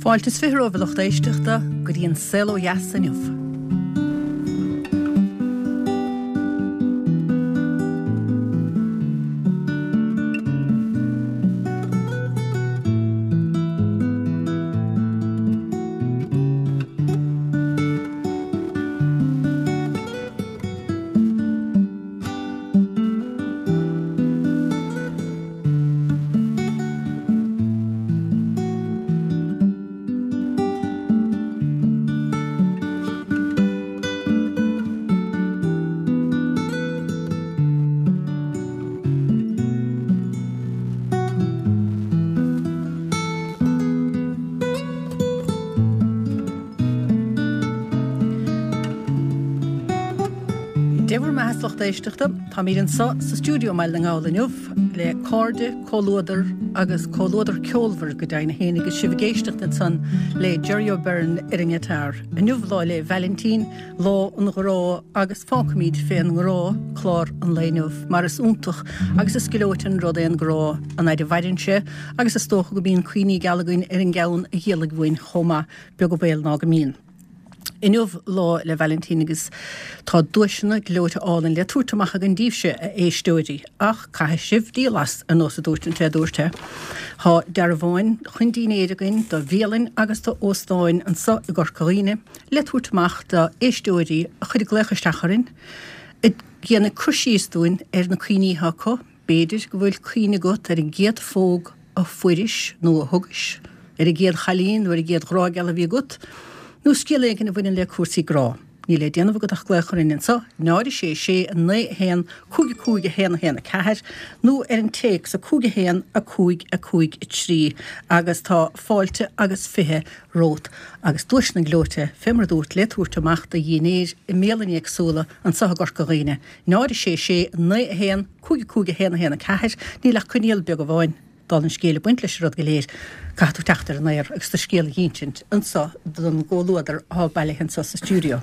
Fáilte is 20 romhaibh a lucht éisteachta go dtí an Saol Ó Dheas inniu. Dé bhur mbeatha a lucht éisteachta, táimid anseo sa stiúideo i mBaile na nGall inniu le cairde, comhluadar agus comhluadar ceolmhar go deimhin féin agus sibh ag éisteacht ansan le Jerry O'Beirne ar an ngiotár. Inniu Lá 'le Vailintín, Lá an Ghrá agus fágfaimid fén ngrá clár an lae inniu mar is iontach agus is gleoite an rud é an grá an fhaid a mhaireann sé agus is dócha go mbíonn cuimhní geala againn ar an gceann a dhíolaigh uainn chomh maith, beag an baol ná go mbíonn. Inniu Lá 'le Vailintín agus tá duaiseanna gleoite álainn le tabhairt amach againn daoibhse, a éisteoirí, ach caithfidh sibh díol as, ar nós a dúirt an té a dúirt é. Tá dearbháin chun dínnéir againn do bhialainn agus do óstáin anso i gCorca Dhuibhne le tabhairt amach do éisteoirí a chuirfidh glaoch isteach orainn ag déanamh cur síos dúinn ar na cuimhní atá acu, B'fhéidir go bhfuil cuimhne agat ar an gcéad phóg a fuairis nó a thugais, ar an gcéad chailín nó ar an gcéad ghrá geal a bhí agat, nó scéal éigin a bhaineann le cúrsaí grá. Níl le déanamh agat ach glaoch orainn anseo, 0 6 6 9 1 5 5 1 1 4, nó ar an téacs 5 1 5 5 3 agus tá fáilte agus 20 romhat agus duaiseanna gleoite, fé mar a dúrt, le tabhairt amach do dhínnéir i mbialanna éagsúla anseo i gCorca Dhuibhne. 0 6 6 9 1 5 5 1 1 4 Níl ach coinníoll beag amháin, dála an scéil, ag baint leis an rud go léir, caithfidh tú teacht ar an aer agus do scéal a dh'insint anso don gcomhluadar athá bailithe anso sa stiúideo.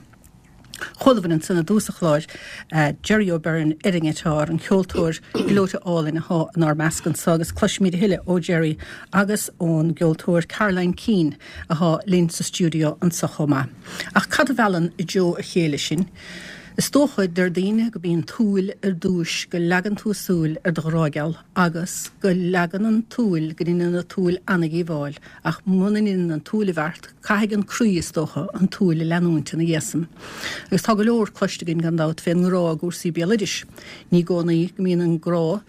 Chualabhair ansan i dtús an chláir Jerry O'Beirne ar an ngiotár, an ceoltóir gleoite álainn athá inár measc anso agus cloisfimid a thuilleadh ó Jerry agus ón gceoltóir Caroline Keane athá linn sa stiúideo anso chomh maith. Ach cad a mheallann i dtreo a chéile sinn? Is dócha, deir daoine, go bíonn tsúil ar dtúis, go leagann tú súil ar do ghrá geal agus go leagann an tsúil, go ndeineann an tsúil ana-dhíobháil, ach muna ndeineann an tsúil an bheart, caithfidh an croí, is dócha, an tsúil a leanúint ina dhiaidh san. Agus tá go leor cloiste againn, gan dabht, fén ngrá i gcúrsaí béaloidis. Ní i gcónaí go mbíonn an grá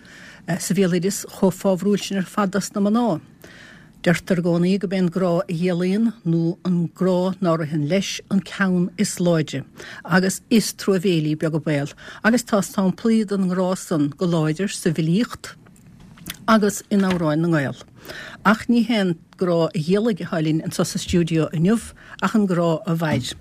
sa bhéaloideas chomh fábhrúil sin ar fad dos na mná. Deirtear i gcónaí gurb é an grá a dhíolaíonn, nó an grá ná ritheann leis, an ceann is láidre, agus is truamhéilí beag an baol, agus tá samplaí den ngrá san go láidir sa bhfilíocht agus in amhráin na nGael. Ach ní hé an grá a dhíolaigh atá linn anso sa stiúideo inniu, ach an grá a mhair.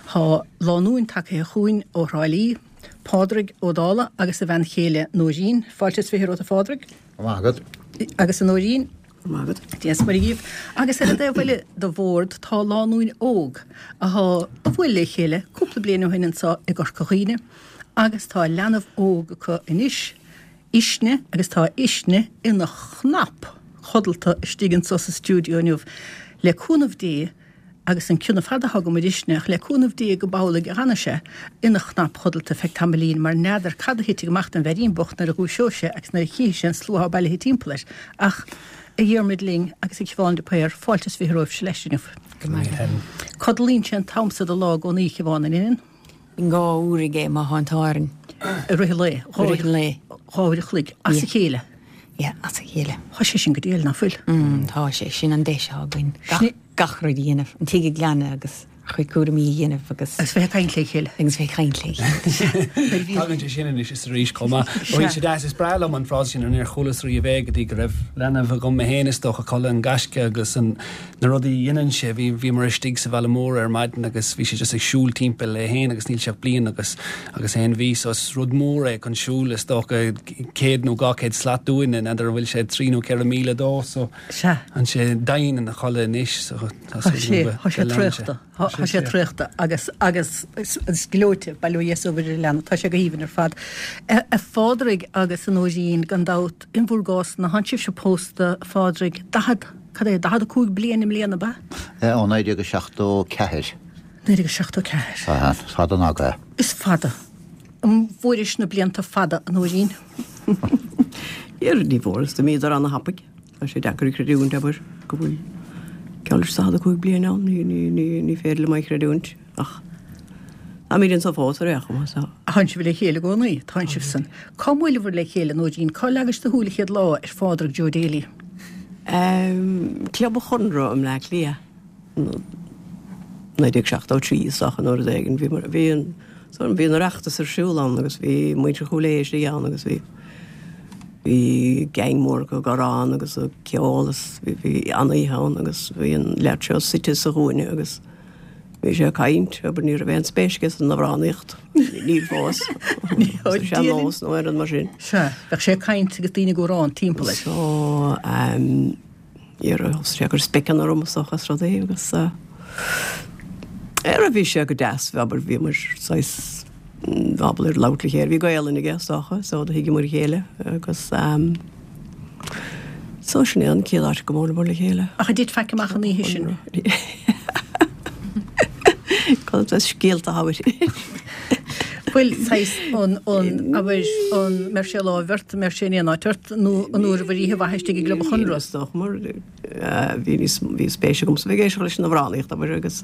Tá lánúin tagaithe chugainn ó Thrá Lí, Pádraig Ó Dálaigh agus a bhean chéile Nóirín. Fáilte is 20 romhat a Phádraig. Go raibh maith agat. Agus a Nóirín. Go raibh maith agat. Dia is Muire dhíbh. Agus ar an dtaobh eile de bhord tá lánúin óg athá a bhuail le chéile cúpla bliain ó shin anso i gCorca Dhuibhne agus tá leanbh óg acu anois, Uisne, agus tá Uisne ina chnap chodlata istigh anso sa stiúideo inniu. Le cúnamh Dé, Agus an cion ar fad atá agam ar Uisne, ach le cúnamh Dé go b'amhlaidh a dh'fhanfaidh sé ina chnap chodlata feadh tamaillín, mar n'fheadar cad a thitfidh amach den bhfeirín bocht nuair a dhúiseoidh sé agus nuair a chífidh sé an slua athá bailithe timpeall air. Ach, a Dhiarmuid linn agus a Shiobhán de Paor, fáilte is 20 romhaibhse leis inniu. Go raibh maith agat. Codlaíonn sé an t-am so de lá i gcónaí, a Shiobhán, an ndeineann? Bíonn 2 uair aige má thá an t-ádh orainn. I rith an lae? I rith an lae. 2 uair a chloig, as a chéile? Yeah, as a chéile. Thá sé sin go diail, ná fuil? Mm, tá sé. Sin an deis athá againn. Gach, gach rud a dhéanamh. An tigh a ghlanadh agus ár gcuid cúraimí a dhéanamh agus. Agus bheith ag caint le chéile. Agus bheith ag caint le chéile. Tagann sé sin anois is arís chomh maith. Bhí sé deas, is breá liom an frása sin, níor chualas riamh é go dtí go raibh leanbh agam mé féin is dócha, codladh an ghaisce agus an, na rudaí a dhéanann sé, bhí, bhíomar istigh sa bhaile mór ar maidin agus bhí sé just ag siúl timpeall é féin agus níl sé ach bliain agus, agus aon mhí so is rud mór é chun siúl is dócha 100 nó 200 slat dúinne, n'fheadar an bhfuil sé 3 nó 4 míle dó so Sea. tá sé domhain ina chodladh anois so tá Tá sé, tá sé traochta, tá sé traochta agus, agus is gleoite, bail ó Dhia is ó Mhuire ar an leanbh, tá sé go haoibhinn ar fad. A Phádraig agus a Nóirín, gan dabht, in bhur gcás-na, thánn sibhse pósta, a Phádraig, 40. cad é, 45 bliain i mbliana, ab ea? Ó 1974. 1974. Aha, is fada an aga é. Is fada. An bhfuairis na blianta fada, a Nóirín? Níor, ní bhfuaireas, d'imíodar ana-thapaidh. Tá sé deacair a chreidiúint, abair, go bhfuil geall leis 45 bliain ann, ní, ní, ní, ní féidir liom é a chreidiúint, ach táimid anso fós ar aon chuma, so. Tánn sibh le chéile i gcónaí, tánn sibhsan. Cá mbuaileabhair le chéile, Nóirín? Cá leagais do shúil an chéad lá ar Phádraig Joe Daly? Ehm, Club an Chonradh i mBleá Cliath. 1973 is dócha nó rud éigin. Bhí bhí an so bhí an Oireachtas ar siúl ann agus bhí muintir Chúil Aodha istigh ann agus bhí bhí gang mór acu ag amhrán agus ag ceol is bhí bhí an-oíche ann agus bhí an leaid seo suite sa chúinne agus bhí sé ag caint, abair ní raibh aon spéis aige san amhránaíocht, níl fós, sa sean-nós nó aon rud mar sin. Sea, bheadh sé ag caint agus daoine ag amhrán timpeall air. So, ehm, Dhera, thosaigh sé ag cur speiceanna orm is dócha is rudaí agus eh bhí sé go deas, abair, bhíomar saghas ábalta ar labhairt le chéile, bhí Gaelainn aige is dócha so do thuigeamar a chéile agus ehm so sin é an chéad áit go mbuaileamar le chéile. Ach ar thit faic amach an oíche sin? Cad é scéalta a thabhairt? Bhuel, saghas an, an, abair, an mbeidh sé láimh ort, an mbeidh sé in aon áit ort, nó an bhfuaireabhair oíche mhaith istigh i gClub an Chonradh? Is dócha mar bhí níos, bhí spéis agamsa bheith ag éisteacht leis an amhránaíocht, abair, agus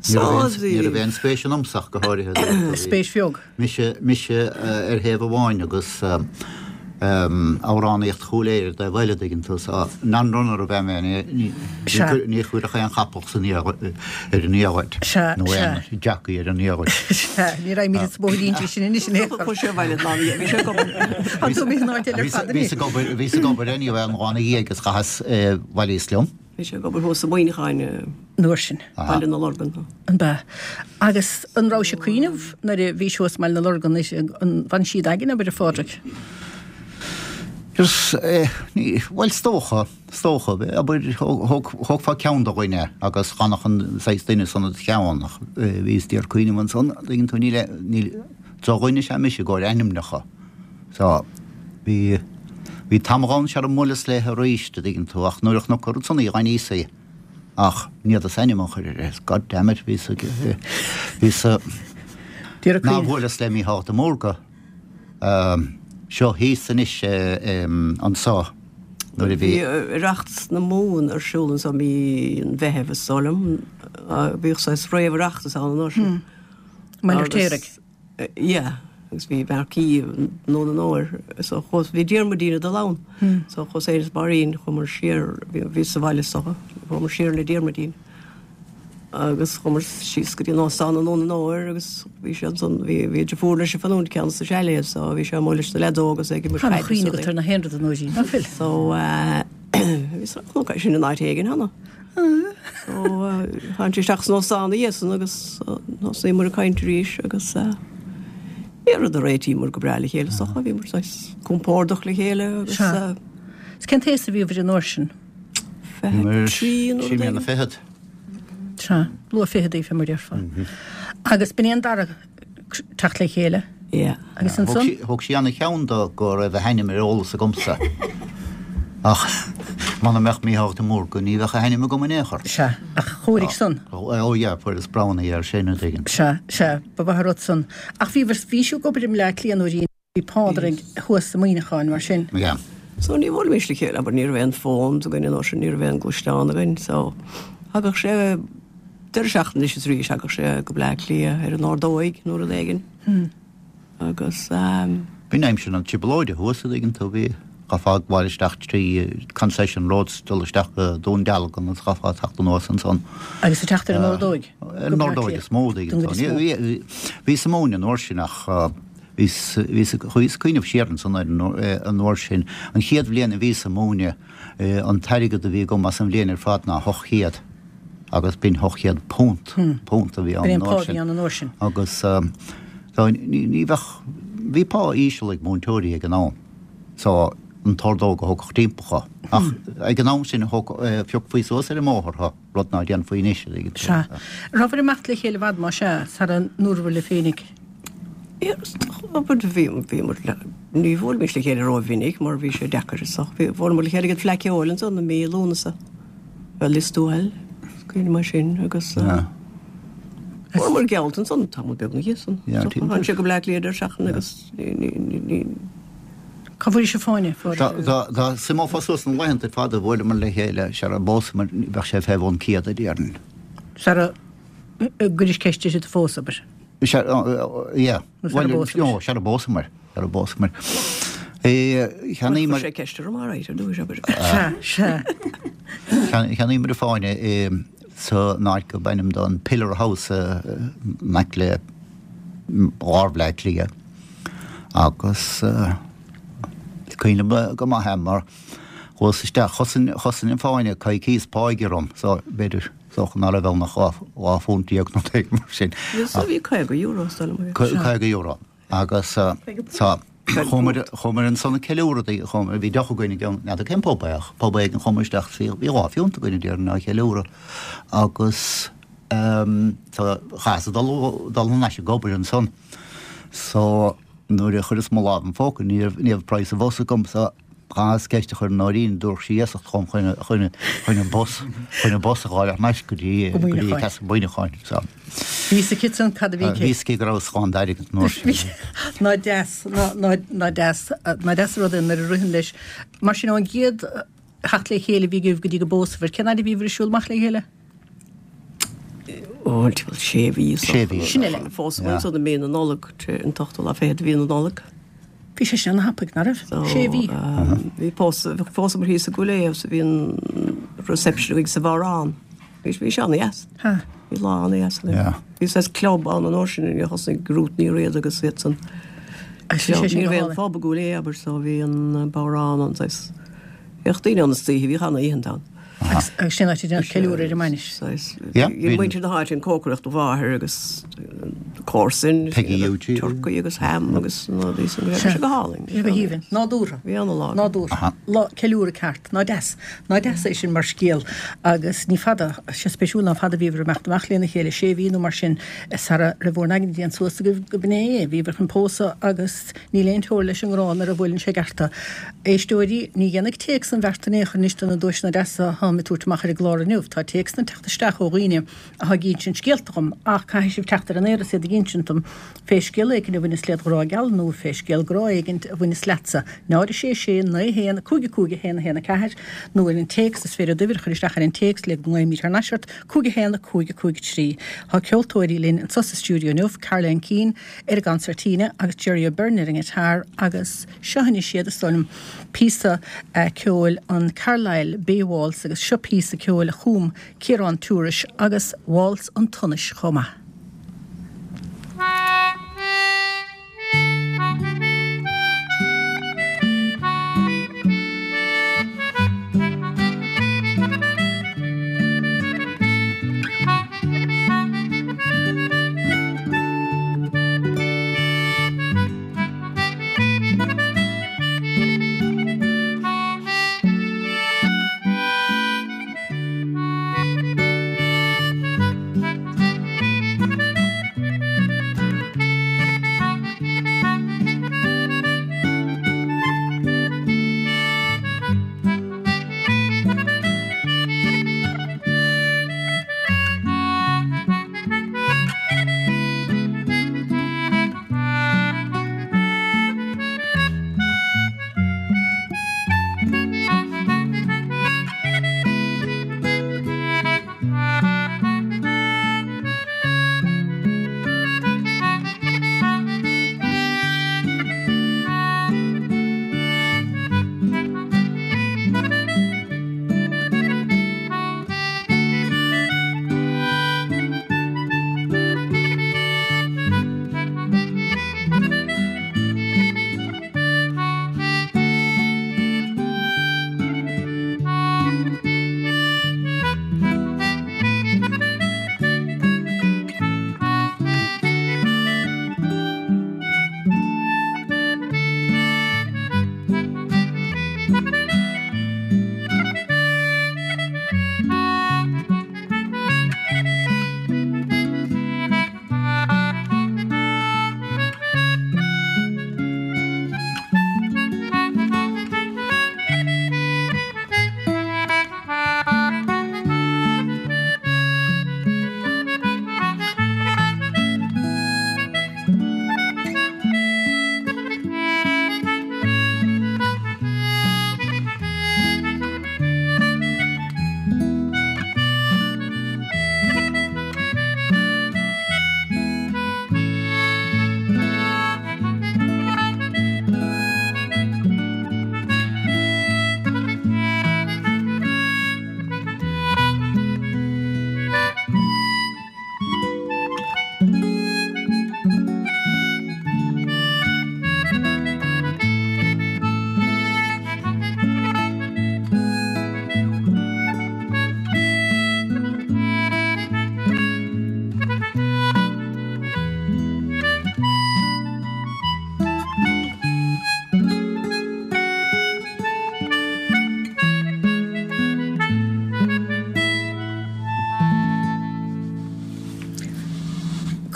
Ní raibh aon, ní raibh aon spéis ionamsa ach go háirithe. Spéis bheag. Mise, mise ar thaobh amháin agus amhránaíocht Chúil Aodha ar an dtaobh eile, dtuigeann tú, so non-runner ab ea mé, ní, ní chuirfeadh aon chapall san ar an liathróid, nó aon jockey ar an liathróid. Sea, ní raghaimid sa bóithrín sin anois in aon chor. Chuaigh sé abhaile an lá ina dhiaidh, bhí sé ag obair. Tá tú imithe in áit eile ar fad anois. Bhíos ag obair, bhíos ag obair anyway an lá ina dhiaidh agus chaitheas, bhailíos liom. Bhí sé ag obair thuas i Muineachán i an uair sin. Baile na Lorgan. An b'ea? Agus an rabhais ag cuimhneamh nuair a bhís thuas i mBaile na Lorgan an bhain siad againn, abair, a Phádraig? Is, ní, bhuel is dócha, is dócha, abair, thógfá ceann de dhuine agus dhanach an saghas duine san id cheann ach bhíos d'iarraidh cuimhneamh ansan, tuigeann tú, níl, níl, drochdhuine is ea mise i gcomhair ainmneacha. So, bhí, bhí tamall ann sara mbuaileas léithe aríst, a dtuigeann tú, ach nuair a chonac an rud san í, dh'aithníos í. Ach ní fhéadas ainm a chur uirthi. God damn it, bhíos ag, bhíos a, ná bhuaileas le Mícheál de Mórdha, seo thíos anois anso, nuair a bhí. Bhí Oireachtas na Mumhan ar siúl anso mí an Mheithimh is dóigh liom. Bhíodh saghas réamh-Oireachtas ann an uair sin. I mBaile Fheirtéaraigh. Yeah, agus bhí marquee i nDún an Óir, so chuas, bhí Diarmuidín ag dul ann, so chuas féin is Máirín, chuamar siar, bhí, bhí sa bhaile is dócha, chuamar siar le Diarmuidín agus chuamar síos go dtí an óstán i nDún an Óir agus bhí sé ansan, bhí, bhí deirfiúr leis ag fanúint ceann sa chalet so bhí sé amuigh leis na leaids óga is é ag imirt caide. Tá cuimhne agat ar na haon rud a Nóirín, ná fuil? So, eh, bhí sa, chonac é sin in áit éigin cheana. So, tháinig sé isteach san óstán ina dhiaidh san agus thosaíomar ag caint arís agus bhí rud a réitíomar go breá le chéile is dócha, bhíomar saghas compordach le chéile agus. Sea. Is cén t-aos a bhíobhair an uair sin? 23 nó rud éigin. Sé mbliana fichead. Sea, luath ficheadaí fé mar a déarfá. Agus b'in é an dara teacht le chéile. Yeah. Agus ansan? Thóg sí ana-cheann de go raibh a hainm ar eolas agamsa. Ach muna mbeadh Mícheál de Mórdha ní bheadh a hainm agam in aon chor. Sea, ach chóirigh san. Oh yeah, fuaireas brownie air sin, an dtuigeann. Sea, sea, ba mhaith an rud san. Ach bhí, bhí sibh ag obair i mBleá Cliath nuair a bhí Pádraig thuas i Muineachán, mar sin. Yeah. So ní bhuailimis le chéile, abair, ní raibh aon phones againn an uair sin, ní raibh aon gluaisteán againn, so thagadh sé deireadh seachtaine anois is arís, thagadh sé go Bleá Cliath ar an Ordóig nó rud éigin agus ehm. B'in aimsir na trioblóide thuas, a dtuigeann tú, bhí, chaithfeá ag gabháil isteach trí Concession Road 's dul isteach go Dún Dealgan agus chaithfeá teacht anuas ansan. Agus ag teacht ar an Ordóig? Ar an Ordóig is mó, a dtuigeann tú. Bhíos ag múineadh an uair sin ach bhíos, bhíos, chuaigh ag cuimhneamh siar ansan ar an uair sin. An chéad bhliain a bhíos ag múineadh, an t-airgead a bhí agam as an bhliain ar fad ná 800 agus b'in 800 punt, punt a bhí ann an uair sin. B'in an pá a bhí ann an uair sin. Agus so ní bheadh, bhí pá íseal ag múinteoirí ag an am so an t-ordóg a thógfadh timpeall thú. Ach ag an am sin thóg, phiocfaí suas ar an mbóthar thú, rud ná déanfaí anois. Sea. Rabhabhair ag imeacht le chéile i bhfad más ea, sara ndúrabhair libh féinig? Bhí, bhíomar le. Ní bhuailimis le chéile rómhinic mar bhí sé deacair is ach bhí, bhuaileamar le chéile ag an Fleadh Ceoil ansan i mí Lúnasa, bhuel Lios Tuathail, is cuimhin mar sin agus fuaireamar geallta ansan tamall beag ina dhiaidh san. Tháinig sé go Bleá Cliath deireadh seachtaine agus ní, ní, ní, ní. Cá bhfuair sibh fáinne? Dá suimeofá suas na laethanta ar fad a bhuaileamar le chéile, sara bpósamar, bheadh sé fé bhun 100 a déarfainn. Sara gcuiris ceist uirthi do phósadh, abair. Sea, yeah. Nó sara bpósamar. No, sara bpósamar. Sara bpósamar. Cheannaíomar. Chuir sé ceist orm alright ar dtús, abair. Sea, sea. Cheannaíomar an fáinne san áit gurb ainm dó an Pillar House in aice le lár Bhleá Cliath agus is cuimhin liom go maith é mar chuas isteach, chosain, chosain an fáinne coicíos páighe orm so b'fhéidir Is dócha ná raibh ann ach £12 nó rud éigin mar sin. Bhí €50 is dóigh liom. €50. Agus tá, chuamar, chuamar ansan ag ceiliúradh, chuamar, bhí deoch againn i gceann, n'fheadar cén pub é ach pub éigin chuamar isteach is bhí, bhí dhá phiúnt againn a déarfainn á cheiliúradh agus tá, chaitheas dul, dul thar n-ais ag obair ansan. So nuair a chuireas mo lámh im phóca ní raibh, ní raibh praghas an bhus agam so Chaitheas ceist a chur ar Nóirín, dtabharfadh sí iasacht dhom chun chun chun an bus chun an bus a dh'fháil thar n-ais go dtí go dtí Castle Mhuineacháin. So. Bhí fhios aici ansan cad a bhí aici. Bhí fhios aici go rabhas gann d'airgead an uair sin. Ná deas, ná ná deas, ná deas an rud é nuair a ritheann leis. Mar sin ón gcéad theacht le chéile a bhí agaibh go dtí go bpósabhair, cén fhaid a bhíobhair ag siúl amach le chéile? Ó, timpeall sé mhí. Sé mhí. Sin uile. Phósamar ansan i mí na Nollag, an t-ochtú lá fichead de mhí na Nollag. Bhí sé sin ana-thapaidh, ná raibh? Sé mhí. Bhí pósadh, phósamar thíos i gCúil Aodha agus bhí an reception againn sa Bhodhrán. Bhí bhí sé ana-dheas. Bhí lá ana-dheas againn. Bhí saghas club ann an uair sin a thosnaigh Ruth Ní Riada agus iad san. Ní raibh aon phub i gCúil Aodha abair so bhí an Bodhrán ann saghas. Bhíodh daoine ann istoíche, bhíodh ana-oícheanta ann. Agus sin áit a déanadh ceiliúradh ar an mbainis. Bhí muintir na háite ag cócaireacht do mháthair agus comharsain, turcaí agus ham agus na rudaí san. Bhí sé go hálainn. Bhí sé go haoibhinn. Nádúrtha. Bhí ana-lá. Nádúrtha. Lá ceiliúradh ceart. Ná deas. Ná deas é sin mar scéal. Agus ní fada, sé spéisiúil ná fada a bhíobhair ag imeacht amach lena chéile, sé mhí nó mar sin, sara raibh bhur n-aigne déanta suas agaibh go b'in é é. Bhíobhair chun pósadh agus níl aon teora leis an ngrá nuair a bhuaileann sé i gceart. Éisteoirí, ní dhéanfaidh téacs an bheart in aon chor anois do na duaiseanna deasa atáim ag tabhairt amach ar an gclár inniu. Tá téacsanna ag teacht isteach ó dhaoine atá ag insint scéalta dhom ach caithfidh sibh teacht ar an aer is iad ag insint dom fé scéal éigin a bhaineas led ghrá geal nó fé scéal grá éigin a bhaineas leatsa. 0 6 6 9 1 5 5 1 1 4 nó ar an téacs, is féidir d'uimhir a chur isteach ar an téacs le go nglaoimid thar n-ais ort, 5 1 5 5 3. Tá ceoltóirí linn anso sa stiúideo inniu, Caroline Keane ar an gconsairtíne agus Jerry O'Beirne ar an ngiotár agus. Seo anois iad, is dóigh liom, píosa ceoil an Carlisle Bay Waltz agus seo píosa ceoil a chum Ciarán Tourish agus Waltz an tSonais chomh maith.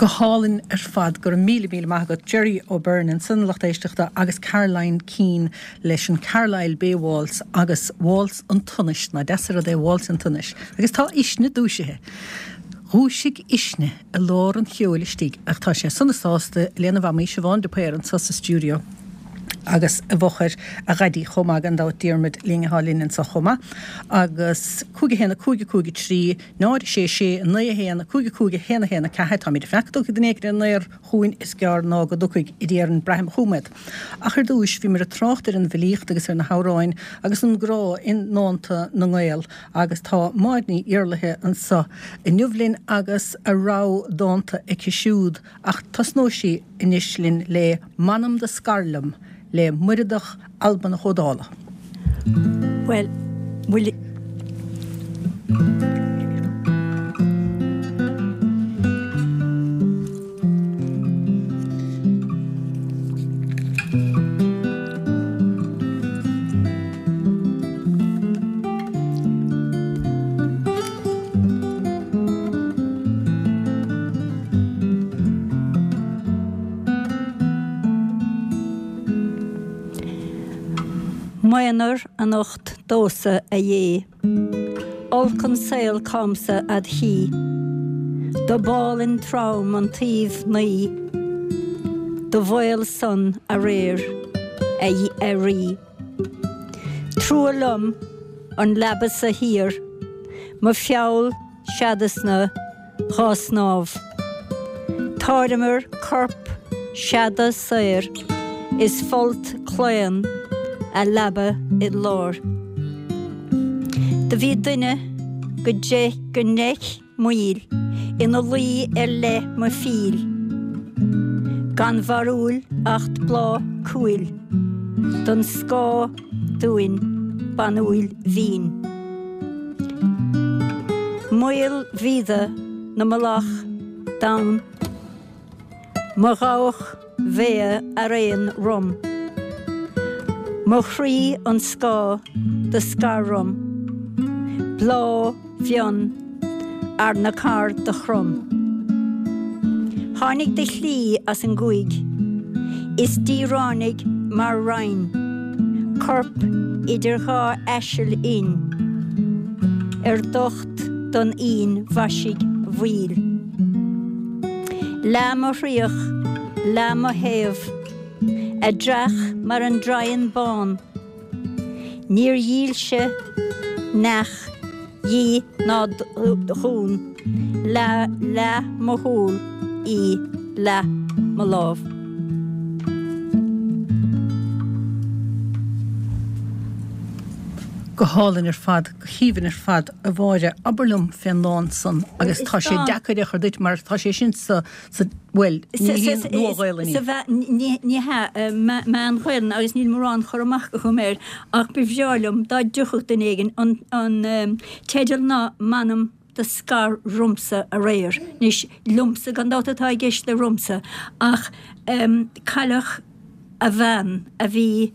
Go hálainn ar fad, go raibh míle míle maith agat Gerry O'Beirne ansan a lucht éisteachta agus Caroline Keane leis an Carlisle Bay Waltz agus Waltz an tSonais, nach deas an rud é Waltz an tSonais. Agus tá Uisne dúisithe. Dhúisigh Uisne i lár an cheoil istigh ach tá sé sona sásta lena mhamaí Siobhán de Paor anso sa stiúideo agus i bhfochair a dhaidí chomh maith gan dabht Diarmuid linn atá linn anso chomh maith agus 5 1 5 5 3 0 6 6 9 1 5 5 1 1 4 Táimid ag fanacht go dtiocfaidh duine éigin ar an aer chugainn is gearr ná go dtiocfaidh a déarfainn braithim chugam iad. Ach ar dtúis bhíomar ag trácht ar an bhfilíocht agus ar na hamhráin agus an grá i ndánta na nGael agus tá Máire Ní Iarlaithe anso inniu linn agus a rogha dánta aici siúd ach tosnóidh sí anois linn le M'anam do scar liom le Muireadhach Albanach Ó Dálaigh. Bhuel, bhfuil. M'aonar anocht domhsa, a Dhé. Olc an saol cámsa ad chí. Do b'álainn trom an taobh naoi. Do bhaol san aréir, a Rí. Trua liom an leaba-sa thiar, mo feall seadasna dhá snámh. Táirmear corp seada saor is folt claon a leaba id lár. Do bhí duine go ndeich moill ina luí ar leith mo phíl, gan bharúil acht bláth cúil don scáth dúinn banúil mhín. Maol mhíoda na mullach donn mo dhabhach mhéa araon rom, mo chroí an scáth do scar rom, bláth bhfionn arna carr do chrom. Tháinig de shlí as an gcúig is díreánaigh mar rainn, corp idir dhá aiseal fhinn ar docht don fhíon mhaisigh mhaoil. Leath mo thraoch, leath mo thaobh, a dreach mar an draighean bán, Níor dhílse neach dhi ná dhún, leath mo shúl í leath mo lámh. Go hálainn ar fad, go haoibhinn ar fad, a Mháire. Abair liom fén ndán san agus tá sé deacair a chur duit mar tá sé sin sa Sa, bhuel, ní hí an Nua-Ghaelainn í. Ní hea, Meán-Ghaelainn agus níl mórán cur amach agam air ach ba bhreá liom dá dtiocfadh duine éigin an teideal ná M'anam do scar romsa aréir. Anois, liomsa gan dabht atá i gceist le romsa ach cailleadh a bhean a bhí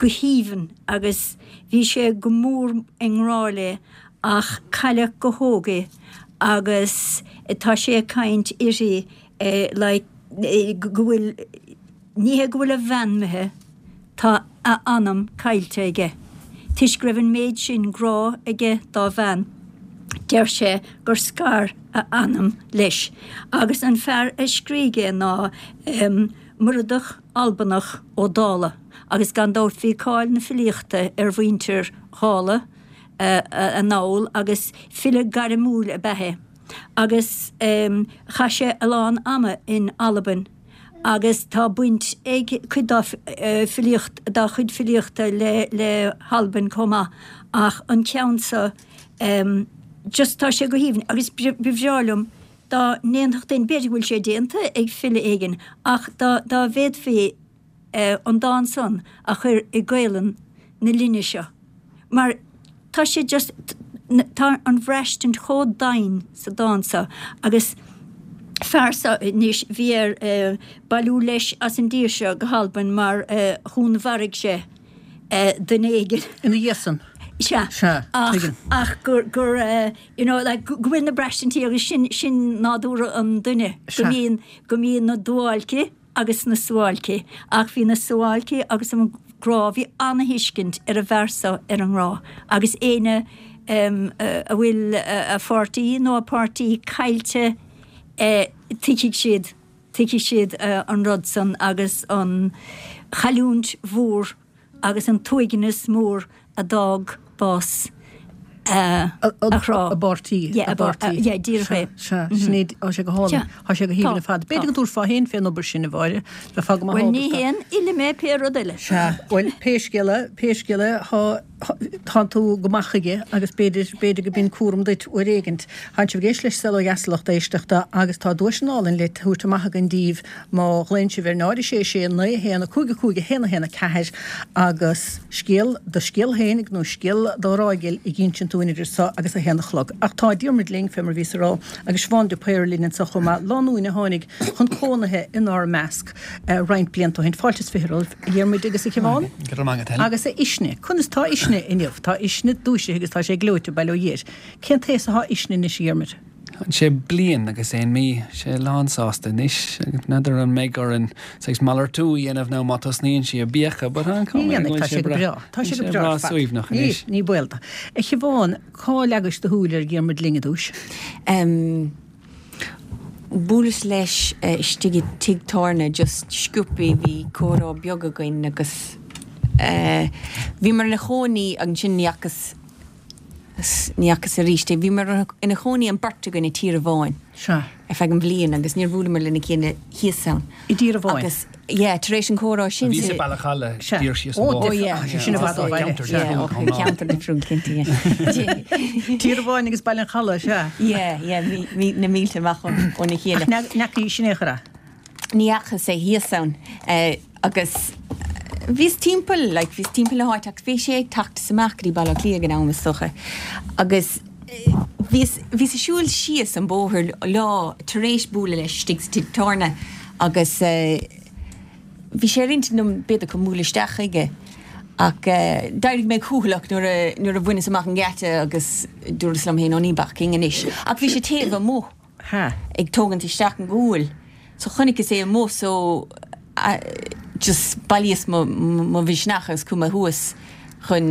go haoibhinn agus bhí sé go mór i ngrá léi ach cailleadh go hóg í agus tá sé ag caint uirthi like go bhfuil, ní hé go bhfuil a bhean imithe, tá a anam caillte aige. Toisc go raibh an méid sin grá aige dá bhean, deir sé gur scar a anam leis. Agus an fear a scrígh é ná Muireadhach Albanach Ó Dálaigh agus gan dabht bhí cáil na filíochta ar mhuintir Dhála, anall agus file gairmiúil ab ea é agus chaith sé a lán ama in Albain agus tá baint ag cuid dá filíocht, dá chuid filíochta le le hAlbain chomh maith ach an ceann seo just tá sé go haoibhinn agus ba bhreá liom dá ndéanfadh duine, b'fhéidir go bhfuil sé déanta ag file éigin ach dá dá bhféadfaí an dán san a chur i Gaelainn na linne seo mar tá sé just, tá an bhraistint chomh doimhin sa dán seo agus fear seo anois bhí air bailiú leis as an dtír seo go hAlbain mar dhúnmharaigh sé duine éigin. Ina dhiaidh san. Sea. Sea, Ach, tuigim. ach gur, gur, you know, like, go bhfuil na braistintí agus sin, sin nádúr an duine, go Sea. mbíonn, go mbíonn na duáilcí agus na suáilcí, ach bhí na suáilcí agus an grá, bhí ana-thuiscint ar an bhfear so ar an ngrá agus éinne a bhfuil a pháirtí nó a páirtí caillte tuigfidh siad, tuigfidh siad an rud san agus an chailliúint mhór agus an t-uaigneas mór a d'fhág bás a ghrá. A bpáirtí. Yeah, a bpáirtí. Yeah, díreach é. Sea, sin é, tá sé go hálainn. Tá sé go haoibhinn ar fad. B'fhéidir go dtabharfá féin fén obair sin, a Mháire. Bheifeá go maith Bhuel, ábalta. ní haon fhile mé pé rud eile. Sea, bhuel, pé scéal é, pé scéal é, tá, tánn tú go maith chuige agus b'fhéidir, b'fhéidir go b'in cúram duit uair éigint. Tánn sibh ag éisteacht le Saol Ó Dheas a lucht éisteachta agus tá duaiseanna álainn le tabhairt amach againn daoibh má ghlaonn sibh ar 0 6 6 9 1 5 5 1 1 4 agus scéal, do scéal fhéinig nó scéal do ghrá ghil ag insint dúinn idir seo agus a haon a chlog. Ach tá Diarmuid linn, fé mar a bhíos a rá, agus Siobhán de Paor linn anseo chomh maith, lánúin a tháinig chun cónaithe inár measc roinnt blianta ó shin. Fáilte is 20 romhaibh, a Dhiarmuid agus a Shiobhán. Go raibh maith agat, Helen. Agus a Uisne. Conas tá Uisne inniu? Tá Uisne dúisithe agus tá sé gleoite, bail ó Dhia air. Cén t-aos atá Uisne anois, a Dhiarmuid? Tá sé bliain agus aon mí. Sé lán sásta anois. N'fheadar an mbeidh orainn saghas malartú a dhéanamh nó má tosnaíonn sí ag béiceadh, but an Ní dhéanfaidh, tá sé go breá. Tá sé go breá ar fad. suaimhneach anois. Ní baol dó. A Shiobhán, cá leagais do shúil ar Dhiarmuid linn i dtús? Bhuaileas leis istigh i dtigh tábhairne just sciobthaí, bhí comhrá beag againn agus bhíomar ina chónaí ansin ní fhacas ní fhacas arís é. Bhíomar ina chónaí an beirt againn i dTír a' Bháin Sea. ar feadh an bhliain agus níor bhuaileamar lena chéile thíos ann. I dTír a' Bháin. Agus, yeah, tar éis an chomhrá sin. Bhíos i Baile Chalaidh, Sea. díreach síos an Ó, bóthar. difriúil. yeah. Tá sé sin i bhfad ó bhaile. Ceantar Sea. Yeah, difriúil okay, chomh maith. ceantar difriúil, cinnte, yeah. Tír a' Bháin agus Baile an Chalaidh, sea. Yeah, yeah, bhí, bhí na mílte amach óna chéile. Ach n'fheacaís in aon chor é? Ní fhacas é thíos ann agus bhíos timpeall, like, bhíos timpeall na háite ach bhí sé ag teacht is amach go dtí Baile Átha Cliath ag an am is dócha agus bhíos, bhíos ag siúl síos an bóthar lá tar éis bualadh leis istigh sa tigh tábhairne agus bhí sé ar intinn agam b'fhéidir chun bualadh isteach chuige ach d'éirigh mé cúthaileach nuair a, nuair a bhaineas amach an geata agus dúras liom féin, ó ní bacfainn anois ach bhí sé taobh amuigh. Ha. ag tógaint isteach an gual. So chonaiceas é amuigh so just bhailíos mo mo mhisneach agus chuaigh mé thuas chun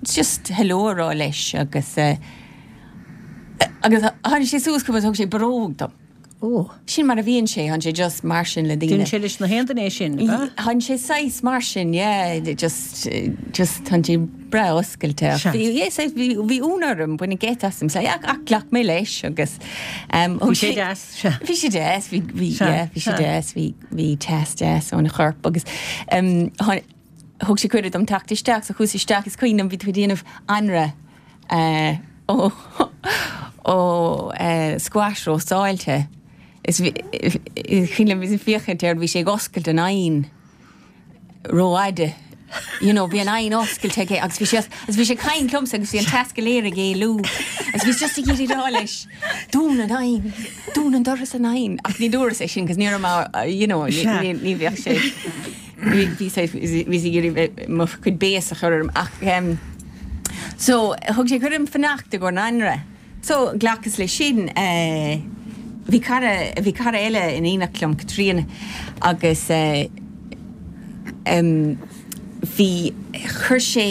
just hello a rá leis agus eh agus tháinig sé suas chugam agus thug sé barróg dom. Ó. Sin mar a bhíonn sé, tánn sé just mar sin le daoine. Déanann sé leis na haon duine é sin, ab ea? Tánn sé saghas mar sin, yeah, just just tánn sé breá oscailte. Sea. Bhí yeah saghas bhí bhí ionadh orm, baineadh geit asam, so ach ach ghlac mé leis agus em Bhí sé deas, sea. Bhí sé deas, bhí bhí Sea, yeah bhí sé sea. deas, bhí bhí teas deas óna chorp agus em tháin- thug sé cuireadh dom teacht isteach so chuas isteach is cuimhin liom bhí tú ag déanamh anraith eh ó ó eh squash róstáilte is bhí is cuimhin liom bhíos ag féachaint air bhí sé ag oscailt an oigheann rófhada. You know, bhí an oigheann oscailte aige agus bhí sé agus bhí sé ag caint liomsa agus bhí an teas go léir ag éalú agus bhíos just ag iarraidh rá leis, dún an oigheann, dún an doras an oigheann ach ní dúras é sin cos ní raibh mé, you know, ní Sea. ní ní bheadh sé bhí bhí sé bhíos ag iarraidh mo chuid béas a chur orm ach em so thug sé cuireadh dom fanacht i gcomhair an anraith. So, ghlacas leis sin. Bhí cara, bhí cara eile in éineacht liom, Caitríona, agus em bhí, chuir sé,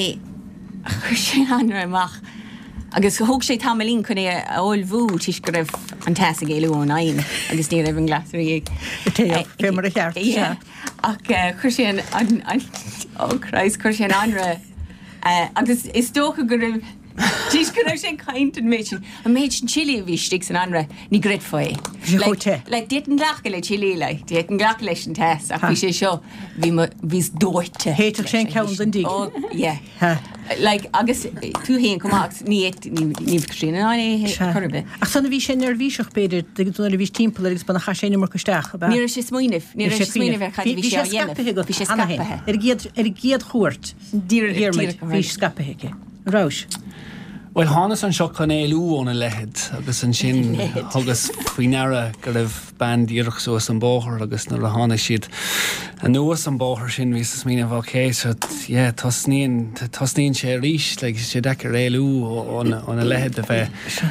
chuir sé anraith amach agus thóg sé tamaillín chun é a ullmhú toisc go raibh an teas ag éalú ón oigheann agus ní raibh an glasraí ag. Ag téamh, fé mar a cheart, Yeah. sea. Ach chuir sé an, an, an, oh Christ, chuir sé an anraith agus is dócha go raibh, Toisc go raibh sé ag caint an méid sin, an méid sin chili a bhí istigh san anraith, ní gcreidfeá é. Bhí sé chomh te. Like, d'fhéadfainn glacadh le chili, like, d'fhéadfainn glacadh leis an teas, ach bhí sé seo, bhí mo, bhíos dóite. Shéidfeadh sé an ceann den dtigh. Oh, yeah. Ha. Like, agus tú fhéin chomh maith, agus ní fhéad, ní, ní bheadh Caitríona in ann é a Sea. chor ar bith. Ach san a bhí sé neirbhíseach, b'fhéidir, nuair a bhís timpeall air agus ba chaith sé an iomarca isteach, ab ea? Ní raibh sé ag smaoineamh, ní raibh sé ag smaoineamh ar cad a Bhí bhí sé sé á dhéanamh. scaipthe agat Bhí sé cheana féin. scaipthe. Ar an gcéad, ar an gcéad chuairt. Díreach, Dhiarmuid, díreach, bhí scaipthe aici. An rabhais? Bhuel, thánas anseo chun éalú óna leithead agus ansin thugas faoi ndeara go raibh bean díreach suas an bóthar agus nuair a tháinig siad anuas an bóthar sin bhíos ag smaoineamh ok so yeah tosnaíonn, tosnaíonn sé arís like tá sé deacair éalú óna leithead a bheith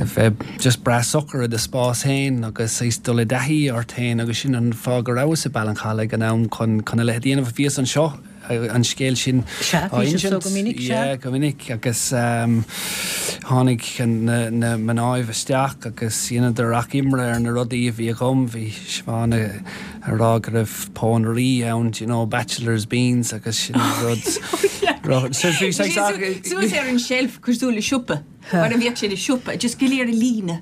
a bheith just breá socair i do spás féin agus saghas dul i dtaithí ort féin agus sin an fáth go rabhas i Ballincollig ag an am chun chun a leithéid a dhéanamh. Bhíos anseo an scéal sin á insint go minic, yeah, go minic agus tháinig na mnáibh isteach agus dheineadar achoimre ar na rudaí a bhí agam. Bhí Siobhán ag rá go raibh pónairí ann, do you know, bachelor's beans agus sin rud. Suas ar an tseilf cosúil le siopa. Mar a bheadh sé i siopa, just go léir i líne.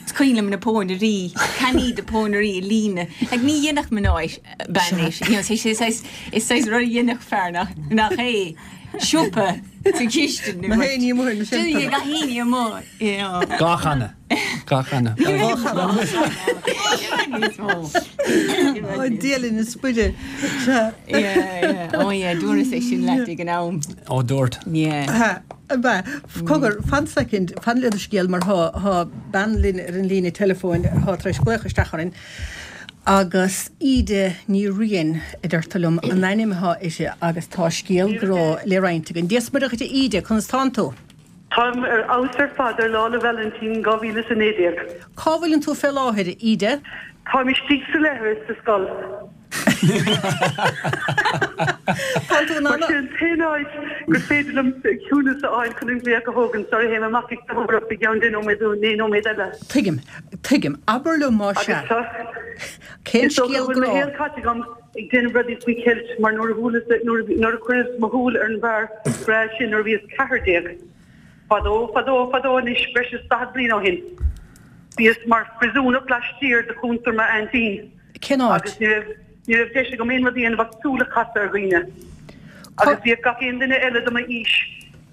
Is cuimhin liom na pónairí, cannaí de pónairí i líne. Like ní dhéanfadh mná bean é sin. You know, is saghas, is saghas rud a dhéanfadh fear nach, nach é. Siopa sa chistin. Na héinne amuigh ar na seilfeanna. Gach éinne amuigh, you know. Dhá channa. Dhá channa. Dhá channa. Níos mó. Ó, Dia linn is Muire. Sea. Yeah, yeah. Oh yeah, dúras é sin leat ag an am. Ó, dúirt. Yeah. Ab ea? Cogar, fan soicind, fan le do scéal mar thá, thá bean linn ar an líne teileafóin athá tar éis glaoch isteach orainn agus Íde Ní Riain a deirtear liom an ainm athá uirthi agus tá scéal grá le roinnt againn. Dia 's Muire dhuit a Íde, conas tánn tú? Táim ar fheabhas ar fad ar Lá 'le Vailintín 2019. Cá bhfuileann tú fé láthair, a Íde? Táim istigh sa leithreas sa scoil. Tá tú in ann. Mar sin an t-aon áit gur féidir liom ciúnas a fháil chun an glaoch a thógaint, sorry théim amach ag léitheoireacht i gceann 10 nóiméad nó 9 nóiméad eile. Tuigim. Tuigim. Abair liom más ea. Agus tá. Cén Is dócha scéal go bhfuil mo grá? shaol caite agam ag déanamh rudaí faoi cheilt mar nuair a bhuaileas, nuair a chuireas mo shúil ar an bhfear breá sin nuair a bhíos 14, fadó, fadó, fadó anois, breis is 40 bliain ó shin, bhíos mar phriosúnach laistiar de chuntar m'aintín. Cén áit? Agus ní raibh, ní raibh deis agam aon rud a dhéanamh ach súil a chasadh ar dhaoine. Agus bhíodh gach aon duine eile de m'aois,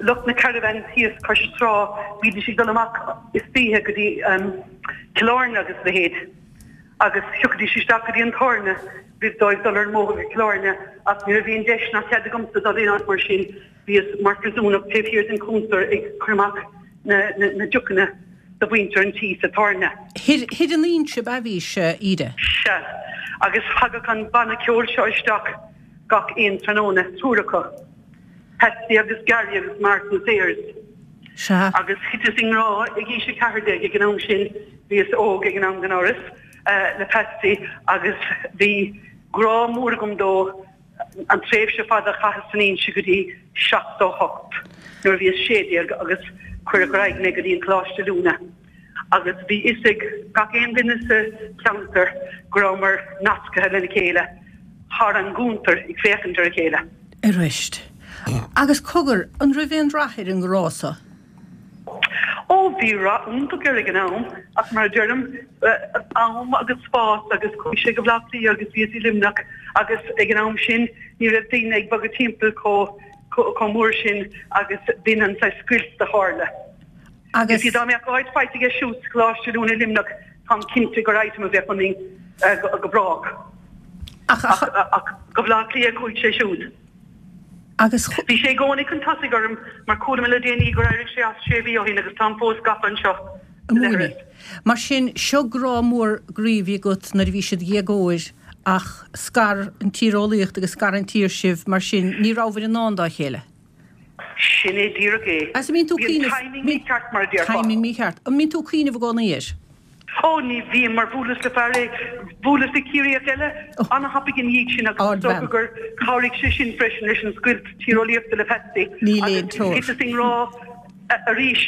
lucht na caravan thíos cois trá, bhídís ag dul amach istoíche go dtí Cill Airne agus a leithéid. Agus thiocfaidís isteach go dtí an tábhairne roimh dóibh dul ar an mbóthar go Cill Airne ach ní raibh aon deis ná cead agamsa dul aon áit mar sin. Bhíos mar phriosúnach taobh thiar den chuntar ag cur amach na deochanna do mhuintir an tí sa tábhairne. Thoir in Inse ab ea bhís, Íde? Sea. Agus thagadh an banna ceoil seo isteach gach aon tráthnóna, triúr acu, Patsy agus Gary agus Martin Sayers. Sea. Agus thiteas i ngrá ag aois 14 ag an am sin, bhíos óg ag an am gan amhras, le Patsy agus bhí grá mór agam dó. an tréimhse fada a chaitheas san Inse go dtí 78 nuair a bhíos 16 agus cuireadh ar aghaidh mé go dtí an Coláiste Oiliúna agus bhí fhios ag gach aon duine sa cheantar go rabhamar nasctha lena chéile thar an gcuntar ag féachaint ar a chéile. Arís. Agus cogar, an raibh aon rath ar an ngrá so? Ó, bhí rath iontach air ag an am, ach mar a deirim, am agus spás agus chuaigh sé go Bleá Cliath agus bhíos i Luimneach agus ag an am sin ní raibh daoine ag bogadh timpeall chomh mór sin agus b'in an saghas scoilt a tharla. Agus. You see, dá mbeadh áit faighte aige siúd sa Choláiste Oiliúna i Luimneach, táim cinnte gur item a bheadh ionainn go brách. Ach, ach go Bleá Cliath a chuaigh sé siúd. Agus. Bhí sé i gcónaí chun tosaigh orm mar chuala mé le déanaí gur éirigh sé as sé mhí ó shin agus táim fós gafa anseo sa leithreas. Mar sin, seo grá mór groí a bhí agat nuair a bhí siad dhéagóir ach scar an tíreolaíocht agus scar an tír sibh mar sin ní rabhabhair i ndán dá chéile. Sin é díreach é. Agus an mbíonn tú ag Bhí an cuimhneamh. timing mícheart mar a déarfá. Timing mícheart. An mbíonn tú ag cuimhneamh i gcónaí air? Ó, ní bhím, mar bhuaileas le fear é, bhuaileas le Ciarraíoch eile an-thapaidh ina dhiaidh sin agus is dócha gur chabhraigh sé sin freisin leis an scoilt tíreolaíochta le Patsy agus thiteas i ngrá arís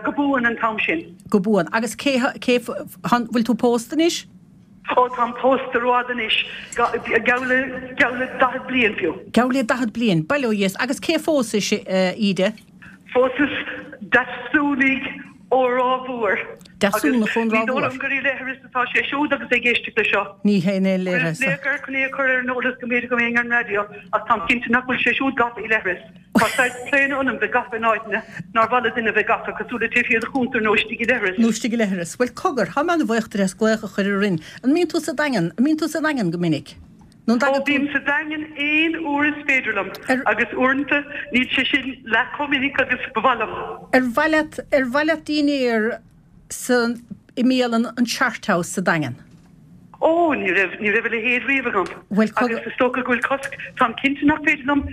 go buan an t-am sin. Go buan. Agus cé, cé, an bhfuil tú pósta anois? Ó, táim pósta rófhada anois, geall le, geall le 40 bliain fiú. Geall le 40 bliain, bail ó Dhia. Agus cé phósais, a Íde? Phósas Deasúnaigh ó Ráth Mhór. Deasúnach ón Ní Ráth dóigh Mhór. liom gur i leithreas atá sé siúd agus é ag éisteacht leis seo. Ní hé in aon Chuireas leithreas. glaoch air chun é a chur ar an eolas go mb'fhéidir go mbeinn ar an raidió ach táim cinnte nach bhfuil sé siúd gafa i leithreas. Tá saghas claonadh ionam bheith gafa in áiteanna nár mhaith le duine bheith gafa, cosúil le taobh thiar de chuntar nó istigh i leithreas. Nó istigh i leithreas. Bhuel, cogar, tá mé an-bhuíoch duit as glaoch a chur orainn. An mbíonn tú sa Daingean, an mbíonn tú sa Daingean go minic? Nó an dtagann tú. Ó, bím sa Daingean aon uair is féidir liom agus uaireanta níl sé sin leath chomh minic agus ba mhaith liom. Ar mhaith leat, ar mhaith leat dinnéar sa, i mbialann an Chart House sa Daingean? Ó, ní raibh, ní raibh a leithéid riamh agam. Bhuel, cogar. Agus is dócha go bhfuil cosc, táim cinnte nach féidir liom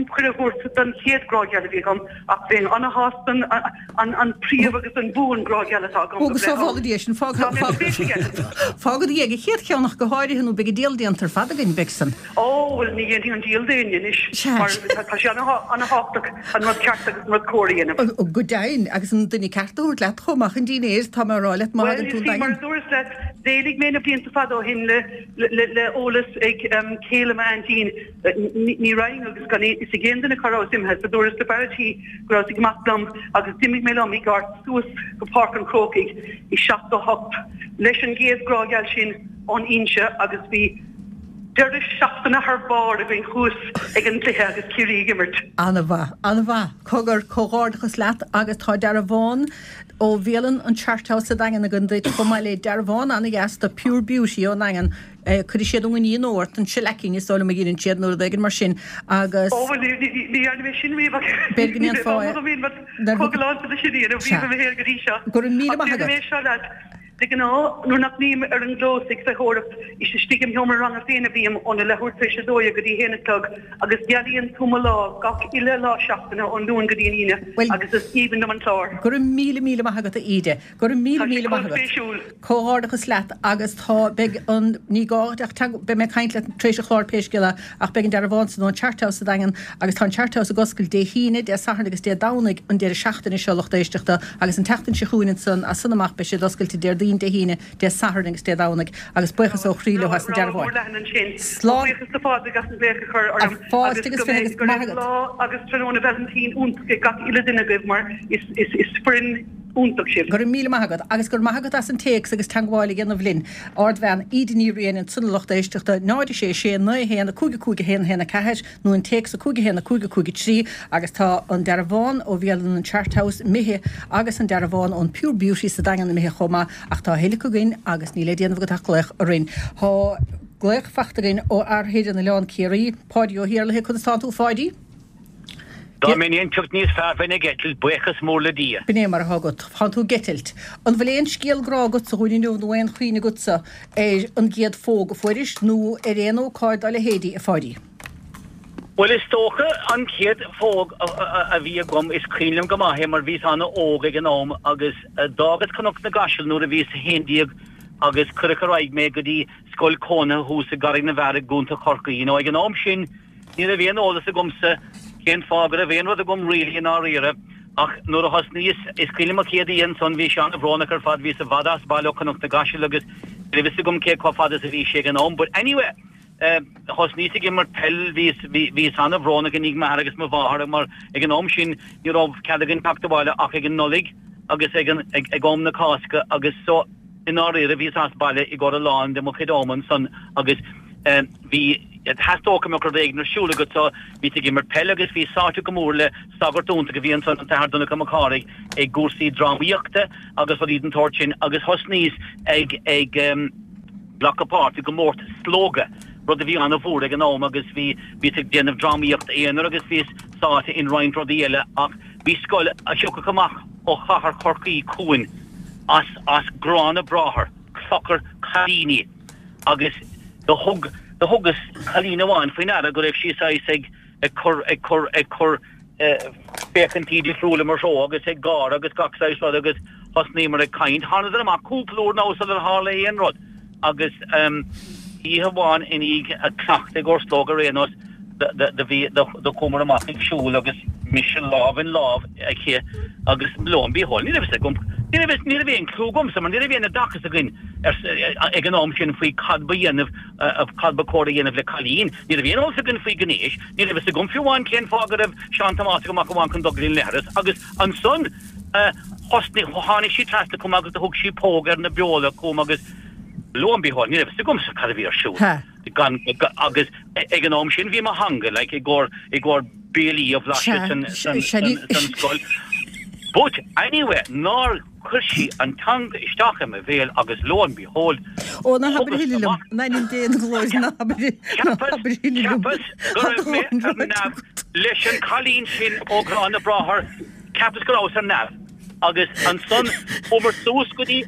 cuireadh a thabhairt don chéad grá geal a bhí agam ach bheinn ana-shásta an, an príomh agus an buan grá geal atá agam go breith ann. Sábhála Dia sinn, fág, Tá mé spéis aige. fág i ndiaidh an chéad cheann ach go háirithe nó beidh an diabhal déanta ar fad againn, beidh san. Ó, bhuel, ní dhéanfaidh an diabhal d'éinne anois, mar tá sé ana-thábhachtach an rud ceart agus an rud cóir a dhéanamh. Go deimhin, agus an duine ceart a thabhairt leat chomh maith chun dinnéir, tá mé a rá leat, má thagann tú an Bhuel, you see, mar a dúras leat, d'éalaigh mé na blianta fada ó shin le le eolas ag céile m'aintín, ní raghainn agus gan fhios ag aon duine cá rabhas imithe, so dúras le fear a' tí go rabhas ag imeacht liom agus d'imigh mé liom i gcairt suas go Páirc an Chrócaigh i 78 leis an gcéad grá geal sin ón Inse agus bhí Deireadh seachtaine thar barr againn thuas ag an gcluiche agus Ciarraí ag imirt. An-mhaith, an-mhaith. Cogar, comhghairdeachas leat agus tá dearbhán ó bhialann an Chart House sa Daingean againn duit chomh maith le dearbhán an-dheas de Pure Beauty ón nDaingean. Cuirfidh siad an ghní ort, an shellacking is dóigh liom a dheineann siad nó rud éigin mar sin agus. Ó bhuel ní dhearna mé sin riamh ach B'fhéidir go ní raibh ndéanfá am é. agam aon rud chomh galánta leis sin a dhéanamh riamh i mo shaol go dtí seo. Go raibh míle Ach maith déarfaidh agat. mé seo leat, De ghnáth, nuair nach mbím ar an gclós ag feitheoireacht, is istigh im sheomra ranga féin a bhím óna leathuair tar éis a dó dhéag go dtí a haon a chlog agus gealaíonn tú mo lá gach uile lá seachtaine ón Luan go dtí an Aoine Bhuel, agus is aoibhinn liom an clár. go raibh míle míle maith agat a Íde. Go raibh míle Tá sé míle chomh maith agat. spéisiúil. Comhghairdeachas leat agus tá, beidh an, ní gá duit ach teagmháil, beidh mé ag caint leat tar éis an chláir pé scéal é ach beidh an dearbhán san ón Chart House sa Daingean agus tá an Chart House ag oscailt Dé hAoine, Dé Sathairn agus Dé Domhnaigh an deireadh seachtaine seo lucht éisteachta agus an tseachtain seo chugainn ansan as san amach beidh siad oscailte Déardaoin, Dé hAoine, Dé Sathairn agus Dé Domhnaigh agus buíochas ó chroí leo as na Rogha mór dearbháin. leathan ansin. Slán. Buíochas le Pádraig as an glaoch a chur orm Fáilte agus agus go 20 mbeidh agus go maith raibh agat. lá agus tráthnóna Vailintín iontach ag gach uile duine agaibh mar is is is foireann iontach sibh. Go raibh míle maith agat agus go raibh maith agat as an téacs agus teagmháil a dhéanamh linn. Ardbhean Íde Ní Riain ansan a lucht éisteachta, 0 6 6 9 1 5 5 1 1 4 nó an téacs 5 1 5 5 3 agus tá an dearbhán ó bhialann an Chart House imithe agus an dearbhán ón Pure Beauty sa Daingean imithe chomh maith ach tá a thuilleadh againn agus níl le déanamh agat ach glaoch orainn. Tá glaoch fachta againn ó fhear Thír an Oileáin Ciarraí, Páidí Ó hIarlaithe, conas tánn tú a Pháidí? Dá mbeinn aon phioc níos fearr bheinn ag eitilt, buíochas mór le Dia. B'in é mar atá agat. Tánn tú ag eitilt. An bhfuil aon scéal grá agatsa dhúinn inniu nó aon chuimhne agatsa ar an gcéad phóg a fuairis nó ar aon ócáid dá leithéidí, a Pháidí? Bhuel, is dócha an chéad phóg a bhí agam, is cuimhin liom go maith é mar bhíos an-óg ag an am agus d'fhágas Cnoc na gCaiseal nuair a bhíos 11 agus cuireadh ar aghaidh mé go dtí scoil cónaithe thuas i gCarraig na bhFear i gContae Chorcaí. You know, ag an am sin ní raibh aon eolas agamsa cén fáth go raibh aon rud agam really i ndáiríre ach nuair a thosnaíos, is cuimhin liom an chéad oíche ansan, bhí sé an-bhrónach ar fad, bhíos i bhfad as baile ó Chnoc na gCaiseal agus ní raibh fhios agam cé chomh fada is a bhí sé ag an am but anyway, Thosnaíos ag imirt peil, bhíos, bhíos an-bhrónach i ndiaidh m'athar agus mo mháthair mar ag an am sin ní raibh cead againn teacht abhaile ach ag an Nollaig agus ag an, ag, ag am na Cásca agus so i ndáiríre bhíos as baile i gcomhair a lán de mo chuid ama ansan agus bhí, theastódh go mbeadh rud éigin ar siúl agat so bhíos ag imirt peil agus bhíos sáite go mór le sagart iontach a bhí ansan, an tAthair Donncha Mac Cárthaigh, i gcúrsaí drámaíochta agus rudaí den tsórt sin agus thosnaíos ag, ag. glacadh páirt i gcomórtas Slógadh, rud a bhí an-mhór ag an am agus bhí, bhíos ag déanamh drámaíocht aonair agus bhíos sáite in roinnt rudaí eile ach bhí scoil a thiocfadh amach ó chathair Chorcaí chugainn as, as Grá na Bráthar, Clochar Cailíní agus do thug, do thugas cailín amháin faoi ndeara go raibh sí saghas ag, ag cur, ag cur, ag cur féachaintí difriúla mo threo agus ag gáire agus gach saghas rud agus thosnaíomar ag caint. Thánadar amach cúpla uair now sular tharla aon rud agus oíche amháin i ndiaidh a cleachtadh i gcomhair Slógadh ar aon nós do bhí, do chuamar amach ag siúl agus mise lámh in lámh aici agus lo and behold ní raibh fhios agam, ní raibh, ní raibh aon clue agamsa mar ní raibh aon oideachas againn ag an am sin faoi cad ba dhéanamh, cad ba chóir a dhéanamh le cailín. Ní raibh aon eolas againn faoi ghnéas, ní raibh fhios agam fiú amháin cén fáth go raibh Seán Tomás ag amach amháin chun dul go dtí an leithreas agus ansan thosnaigh, tháinig sí trasna chugam agus do thug sí póg ar na beola chugam agus lo and behold ní raibh fhios agamsa cad a bhí ar siúl gan, agus ag an am sin bhí mo theanga like i gcomhair, i gcomhair béilí a bhlaiseadh san, san, san scoil. But anyway, nár. Chuir sí an teanga isteach i mo bhéal agus lo and behold. Ó, ná habair a thuilleadh liom. In ainm Dé na glóire, ná habair ná habair a thuilleadh liom. Cheapas go raibh mé ar neamh leis an cailín sin ó Ghrá na Bráthar, cheapas go rabhas ar neamh. Agus ansan chuamar suas go dtí,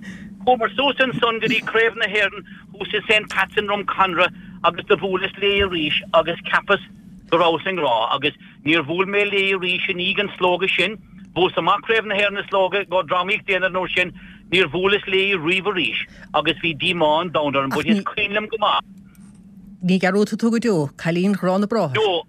chuamar suas ansan go dtí Craobh na hÉireann thuas i St Pat's i nDrumconra agus do bhuaileas léi arís agus cheapas go rabhas i ngrá agus níor bhuail mé léi arís i ndiaidh an slógadh sin. Bhuas amach Craobh na hÉireann i slógadh go drámaíocht déanamh an uair sin, níor bhuaileas léi riamh arís agus bhí díomá an domhain orm but is cuimhin liom go maith. Ní dhearúdfaidh tú go deo cailín Ghrá na Bráthar. No,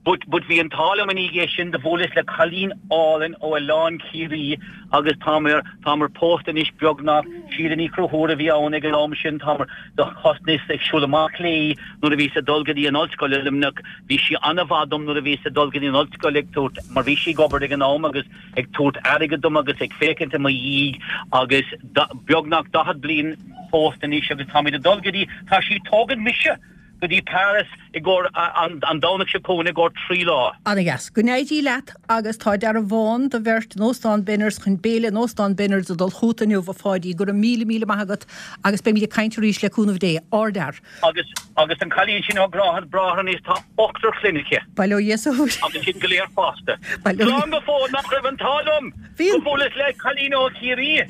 but, but bhí an t-ádh liom i ndiaidh é sin, do bhuaileas le cailín álainn ó Oileán Ciarraí agus táimir, táimir pósta anois beagnach, Síle Ní Chonchúir a bhí ann ag an am sin, táimir, do thosnaíos ag siúl amach léi nuair a bhíos ag dul go dtí an ollscoil i Luimneach, bhí sí an-mhaith dom nuair a bhíos ag dul go dtí an ollscoil ag tabhairt, mar bhí sí ag obair ag an am agus ag tabhairt airgead dom agus ag féachaint i mo dhiaidh agus beagnach 40 bliain pósta anois agus táimid ag dul go dtí, tá sí ag tógaint mise go dtí Paris i gcomhair an Domhnach seo chugainn i gcomhair 3 lá. Ana-dheas. Go n-éirí leat agus tá dearbhán do bheirt in Óstán Benners chun béile in Óstán Benners ag dul chugat inniu a Pháidí. Go raibh míle míle maith agat agus beimid ag caint arís le cúnamh Dé. Ardfhear. Agus, agus an cailín sin ó Ghrá na Bráthar anois tá ochtar clainne aici. Bail ó Dhia is Agus iad go léir fásta. Bail ó Dhia. Slán go fóill nach raibh an t-ádh liom Bhí go an. mbuaileas le cailín ó Chiarraí.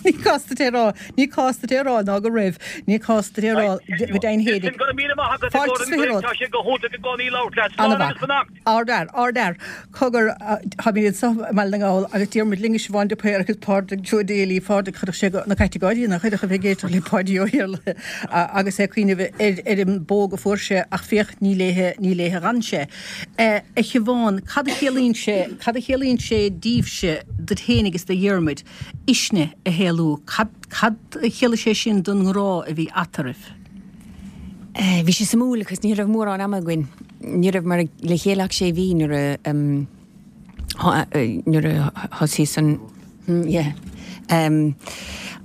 Ní cás duit é a rá, ní cás duit é a rá ná go raibh, ní cás duit é a rá go deimhin Listen, fhéinig. go raibh míle maith agat i Fáilte gcomhair is an 20 ghaoth, romhat. tá sé go hiontach i gcónaí labhairt leat. Slán Ana-mhaith. agus beannacht. Ardfhear, ardfhear. Cogar, táimid anseo i mBaile na nGall agus Diarmuid linn is Siobhán de Paor agus Pádraig Joe Daly, Pádraig, chuirfeadh sé na cait ag gáirí, nach chuirfeadh a bheith ag éisteacht le Páidí Ó hIarlaithe agus é ag cuimhneamh ar ar an bpóg a fuair sé ach féach ní léithe, ní léithe a dh'fhan sé. A Shiobhán, cad a chiallaíonn sé, cad a chiallaíonn sé daoibhse, duit féinig agus do Dhiarmuid, Uisne a shaolú, cad, cad a chiallaigh sé sin don ngrá a bhí eatarthu? Bhí sé suimiúil agus ní raibh mórán ama againn. Ní rabhamar le chéile ach sé mhí nuair a nuair a thosaíos an yeah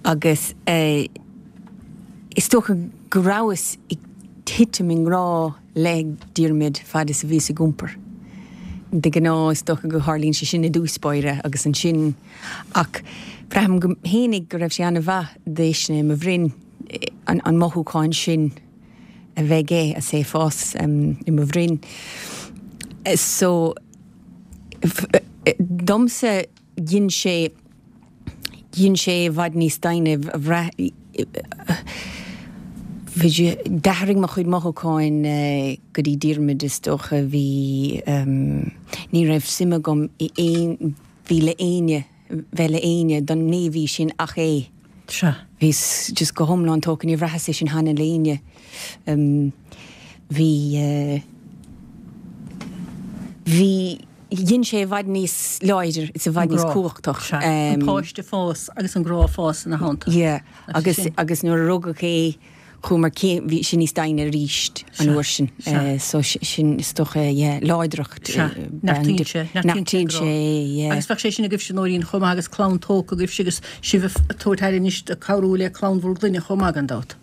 agus is dócha go rabhas ag titim i ngrá le Diarmuid fad is a bhíos ag iompar. De ghnáth is dócha go tharlaíonn sé sin i dtús báire agus ansin ach braithim go fhéinig go raibh sé an-mhaith d'Uisne i mo bhroinn. an mothúchán sin a bheith aige is é ag fás i mo bhroinn. So, domsa dhein sé, dhein sé i bhfad níos doimhne, bhraith, d'athraigh mo chuid mothúcháin go dtí Diarmuid is dócha, bhí, ní raibh suim agam i aon, bhí le éinne. bheith le éinne don naoi mhí sin ach é. Sea. Bhíos just go hiomlán tógtha, níor bhraitheas é sin cheana le éinne. Bhí, bhí, dhein sé i bhfad níos láidir is i bhfad níos cumhachtach. Sea, an páiste ag fás agus an grá ag fás ina theannta. Yeah, agus, agus nuair a rugadh é, Chuamar céim, bhí sé níos doimhne arís an uair sin. So sin is dócha, yeah, láidreacht. Sea, neartaíonn sé, neartaíonn sé, yeah. Agus bheadh sé sin agaibhse Nóirín chomh maith agus clann tógtha agaibhse agus sibh ag tabhairt aire anois ag cabhrú le clann bhur gclainne chomh maith gan dabht.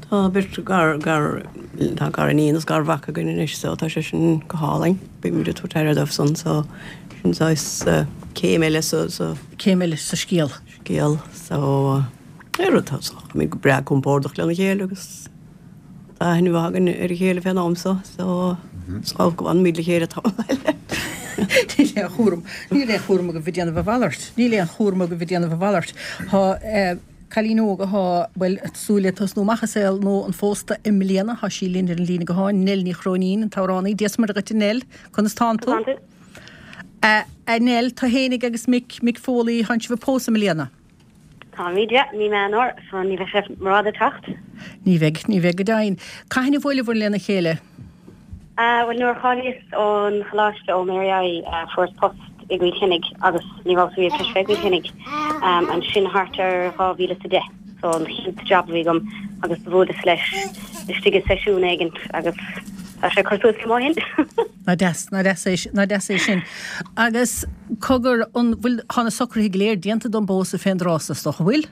Tá beirt gar, gar, tá gariníon is garmhac againn anois so tá sé sin go hálainn. Bímid ag tabhairt aire dóibh san so sin saghas céim eile sa, sa. Céim eile sa scéal. Scéal so. Ar rud tá táimid go breá compordach lena chéile agus tá aithne mhaith againn ar a chéile fén am so, so is dócha go bhfanfaimid le chéile tamall eile. Níl aon chúram, níl aon chúram agaibh ag déanamh a mhalairt, níl aon chúram agaibh ag déanamh a mhalairt. Tá cailín óg athá, bhuel, ag súil le tosnú amach i saol nua an phósta i mbliana, thá sí linn ar an líne gutháin, Nell Ní Chróinín, an t-amhránaí. Dia 's Muire dhuit a Nell, conas tánn tú? A Nell, tú fhéinig agus Mick, Mick Foley, thánn sibh ag pósadh i mbliana. Táimid, yeah, mí Meán Fhómhair, so ní bheidh sé rófhada ag teacht. Ní bheidh, ní bheidh go deimhin. Cathain a bhuaileabhair lena chéile? Ah, bhuel, nuair a cháilíos ón choláiste ó Mary I, fuaireas post i gCill Chainnigh agus ní rabhas riamh tar éis bheith i gCill Chainnigh. Ansin thart ar 2010, so an chéad job a bhí agam agus do bhuaileas leis istigh i seisiún éigint agus tá sé ag cur suas liom ó shin. Nach deas, nach deas é, nach deas é sin. Agus cogar, an bhfuil, tá na socruithe go léir déanta don bpósadh fén dtráth so, is dócha, bhfuil?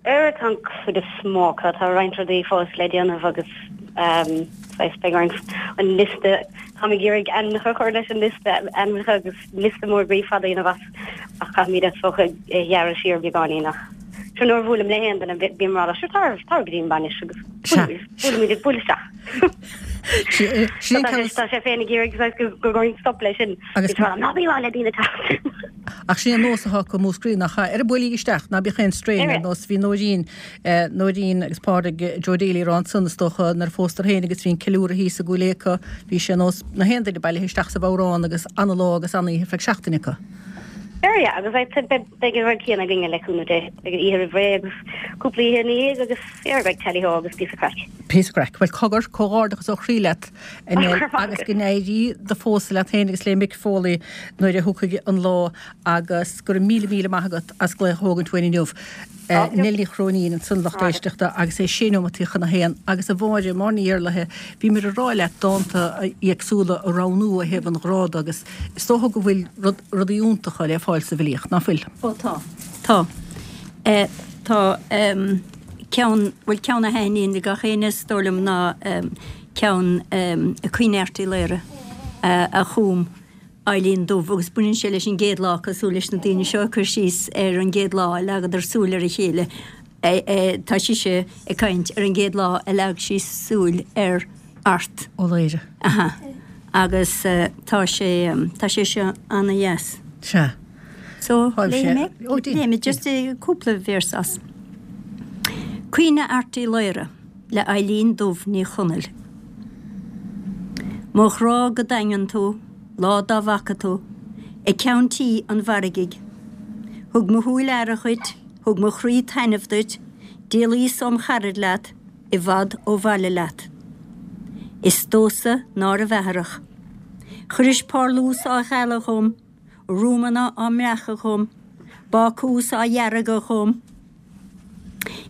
Er, tá an chuid is mó acu, tá roinnt rudaí fós le déanamh agus ehm, saghas beidh orainn an liosta, táim ag iarraidh ainmneacha a chur leis an liosta ainmneacha agus liosta mór groí fada a dhéanamh as ach caithfimid is dócha é a ghearradh siar beagáinín ach. Sure nuair a bhuailim le haon duine bím ag rá sure tar tar go dtí an bainis agus buailimid buail isteach. Tá sé féin ag iarraidh go go gcuirfinn stop leis sin. Agus ná bí ag rá le daoine teacht. Ach sin é an nós atá acu i Múscraí nach ea? Ar buailigí isteach, ná bíodh aon strain ar nós bhí Nóirín Nóirín agus Pádraig Joe Daly ag rá ansan is dócha nuair a phósadar féin agus bhí an ceiliúradh thíos i gCúil Aodha acu, bhí sé ar nós na haon duine bailithe isteach sa bhodhrán agus ana-lá agus an-oíche ar feadh seachtaine acu. Sure yeah agus beidh an rud céanna againne le cúnamh Dé. Beidh an oíche roimh ré agus cúpla oíche ina dhiaidh agus yeah beidh tally ho agus píosa craic. Píosa craic. Bhuel cogar, comhghairdeachas ó chroí leat a Nell agus go n-éirí do phósadh leat féin agus le Mick Foley nuair a thiocfaidh an lá agus go raibh míle míle maith agat as glaoch a thógaint uainn inniu. Nell Ní Chróinín ansan lucht éisteachta agus é sé neomataí chun a haon agus a Mháire, Máire Ní Iarlaithe, bhíomar ag rá leat dánta éagsúla a roghnú ó thaobh an ghrá de agus is dócha go bhfuil rudaí iontacha le fáil sa bhfilíocht, ná fuil? Ó tá. Tá. Tá ceann, bhuel ceann a thaitníonn le gach éinne is dóigh liom ná ceann Caoineadh Airt Uí Laoire a chum Eilín Dubh agus baineann sé leis an gcéad lá cosúil leis na daoine seo ag cur síos ar an gcéad lá a leagadar súil ar a chéile. Tá sise ag caint ar an gcéad lá a leag sí súil ar Art. Ó Laoire. Aha. Agus tá sé, tá sé seo ana-dheas. Sea. So, léifidh mé? Léifidh mé just cúpla véarsa as. Caoineadh Airt Uí Laoire le Eilín Dubh Ní Chonaill. Mo ghrá go daingean tú, lá dá bhfaca tú, ag ceann tí an mhargaidh. Thug mo shúil aire dhuit, thug mo chroí taitneamh duit, d'éalaíos óm charaid leat, i bhfad ó bhaile leat. Is domhsa nárbh atharach. Chuiris parlús á ghealadh dhom, ruaimeanna á mbreacadh dhom, bácús á dheargadh dhom,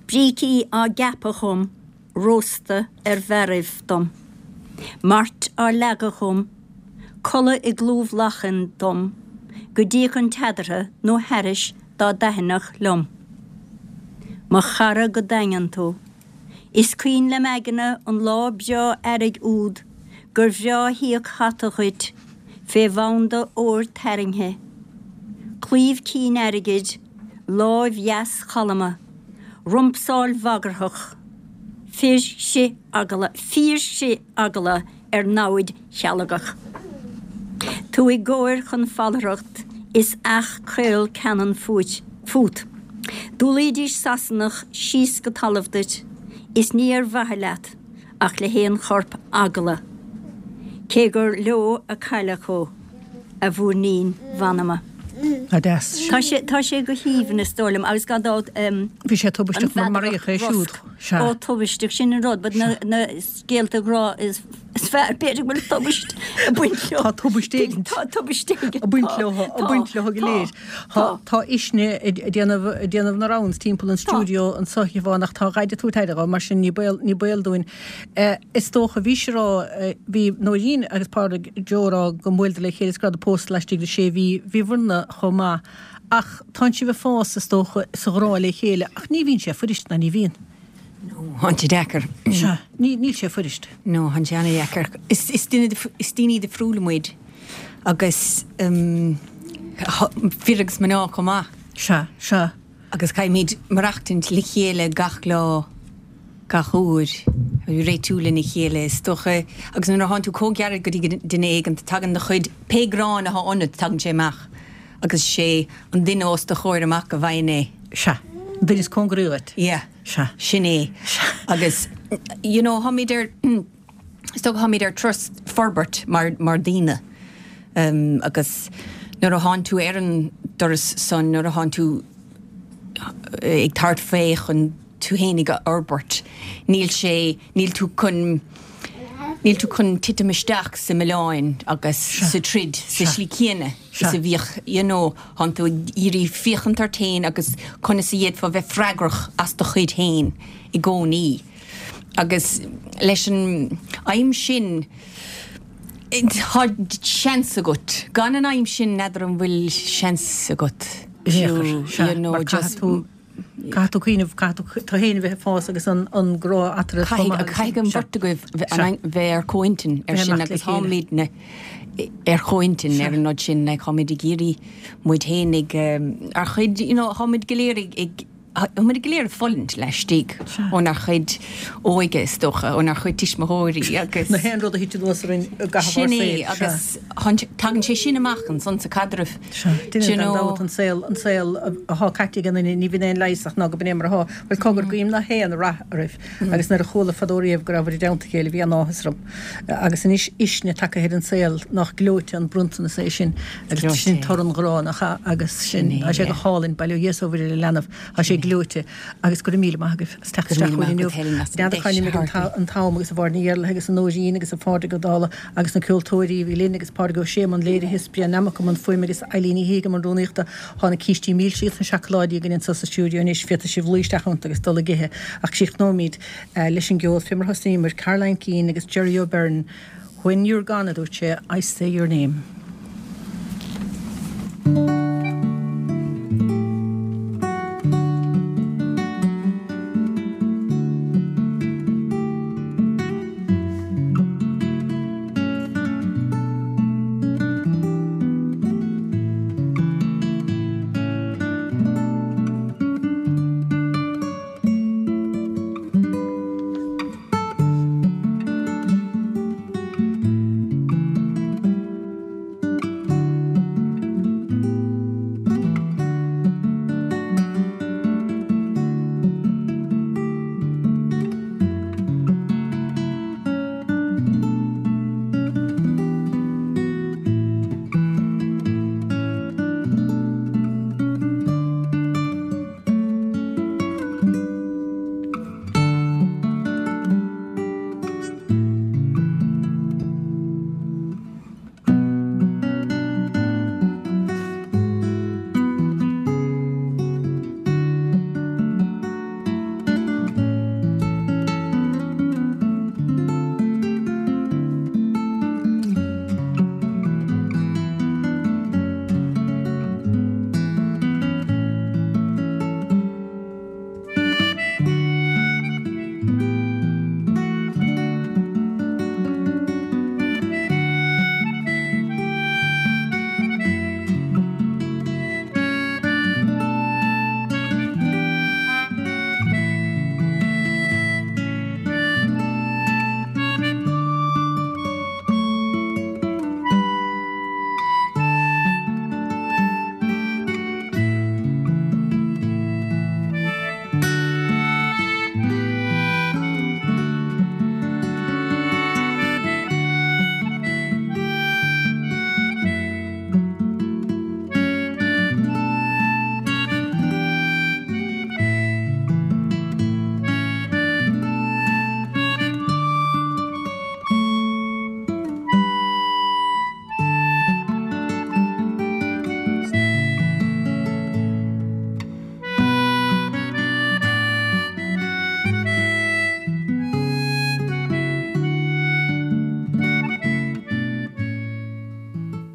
Brící á gceapadh dhom, rósta ar bharraibh dom. Mairt á leagadh dhom, codladh i gclúmh lachan dom, go dtíocfainn eadarthu nó thairis dá dtaitneodh liom. Mo chara go daingean tú. Is cuimhin lem aigne an lá breá earraigh úd gur bhreá híoc hata dhuit fé bhanda óir tarraingthe, claíomh cinn airgid, láimh dheas chalma, rumpsáil bhagarthach, fir chrith eagla, fíor chrith eagla ar namhaid chealgach. Tú i gcóir chun falracht is each caol ceannann fút. D'fhualaídís Sasanach síos go talamh duit is ní ar mhaithe leat ach le haon chorp eagla, cé gur leo a cailleadh thú, a mhúirnín mh'anama. Tá deas. Tá sé, tá sé go haoibhinn is dóigh liom agus gan dabht Bhí sé tubaisteach mar maraíodh é siúd. Sea. Ó tubaisteach, sin an rud, but na, na scéalta grá is is fearr b'fhéidir go bhfuil tubaist ag baint leo. Tá tubaist éigin. Tá tubaist éigin. Ag baint leo, ag baint leo go léir. Tá, tá uisne ag déanamh, ag déanamh na rounds timpeall an stiúideo anseo a Shiobhán ach tá a dhaid ag tabhairt aire dho mar sin ní baol, ní baol dúinn. Is dócha, bhís ag rá, bhí Nóirín agus Pádraig Joe ag rá go mbuaileadar le chéile is go rabhadar pósta laistigh de sé mhí, bhíobhair-na chomh maith. Ach tánn sibh ag fás, is dócha, sa ghrá le chéile ach ní bhíonn sé fuirist ná ní bhíonn. No, thánn sé deacair. Sea, ní, níl sé fuirist. No, thánn sé ana-dheacair. Is, is duine, is daoine difriúla muid agus um, fir agus mná chomh maith. Sea, sea. Agus caithfimid maireachtaint le chéile gach lá, gach uair, réitiú lena chéile is dócha. Agus nuair a thánn tú chomh gairid go dtí duine éigin, tagann do chuid, pé gráin athá ionat, tagann sé amach. Agus sé an duine os do chomhair amach a bhfaigheann é. Sea. An duine is cóngaraí dhuit. Yeah. Sea. Sin é. Sea. Agus, you know, tháimid ar, is dócha tháimid ar turas forbairt mar, mar daoine. Um, agus nuair a thánn tú ar an dturas san, nuair a thánn tú ag tabhairt fé chun tú fhéinig a fhorbairt, níl sé, níl tú chun, níl tú chun titim isteach sa milleáin agus sa troid sa slí céanna is a bhíodh, you know, thánn tú ag iarraidh féachaint ort féin agus conas a d'fhéadfá bheith freagrach as do chuid féin i gcónaí. Agus leis an aidhm sin, tá seans agat. Gan an aidhm sin, n'fheadar an bhfuil seans agat. You know, just. Caithfidh tú cuimhneamh, caithfidh tú tú féin a bheith ag fás agus an grá eatarthu chomh maith. Caithfidh an bheirt agaibh bheith ar comhintinn ar sin agus táimidne ar chomhintinn ar an rud sin, like táimid ag iarraidh muid féin ag, ár chuid, you know, táimid go léir ag. Tá muid go léir ag fulaingt laistigh ónár chuid óige, is dócha, ónár chuid tuismitheoirí agus. Na haon rud a thit anuas orainn i gcaitheamh ár Sin saoil. é, agus tagann sé sin amach ansan sa chaidreamh. Sea. Do Duine you gan know. dabht an saol, an saol athá caite ag an nduine, ní bhíonn aon leigheas ach ná go b'in é mar athá. Bhuel, cogar, guím na haon rath oraibh agus nuair a chuala fadó riamh go rabhabhair i dteannta a chéile bhí an-áthas orm. Agus anois Uisne tagtha ar an saol, nach gleoite an bronntanas é sin. Agus sin toradh an ghrá, nach ea? Agus sin, tá sé go hálainn, bail ó Dhia is ó Mhuire ar an leanbh, tá sé gleoite. Agus go raibh míle maith agaibh as teacht isteach chugainn inniu. N'fheadar cá n-imigh an t-am agus a Mháire Ní Iarlaithe agus a Nóirín agus a Phádraig Ó Dálaigh agus na ceoltóirí a bhí linn agus Pádraig Ó Sé i mbun léirithe is Brian Nammock i mbun fuaime agus Eileen Ní Shíoga i mbun rúnaíochta. Tá na cístí milse agus na seacláidí againn anseo sa stiúideo anois, féadfaidh sibh luí isteach iontu agus dul ag ithe. Ach críochnóimid leis an gceol fé mar a thosnaíomar, Caroline Keane agus Gerry O'Beirne. When you're gone, a dúirt sé, I say your name.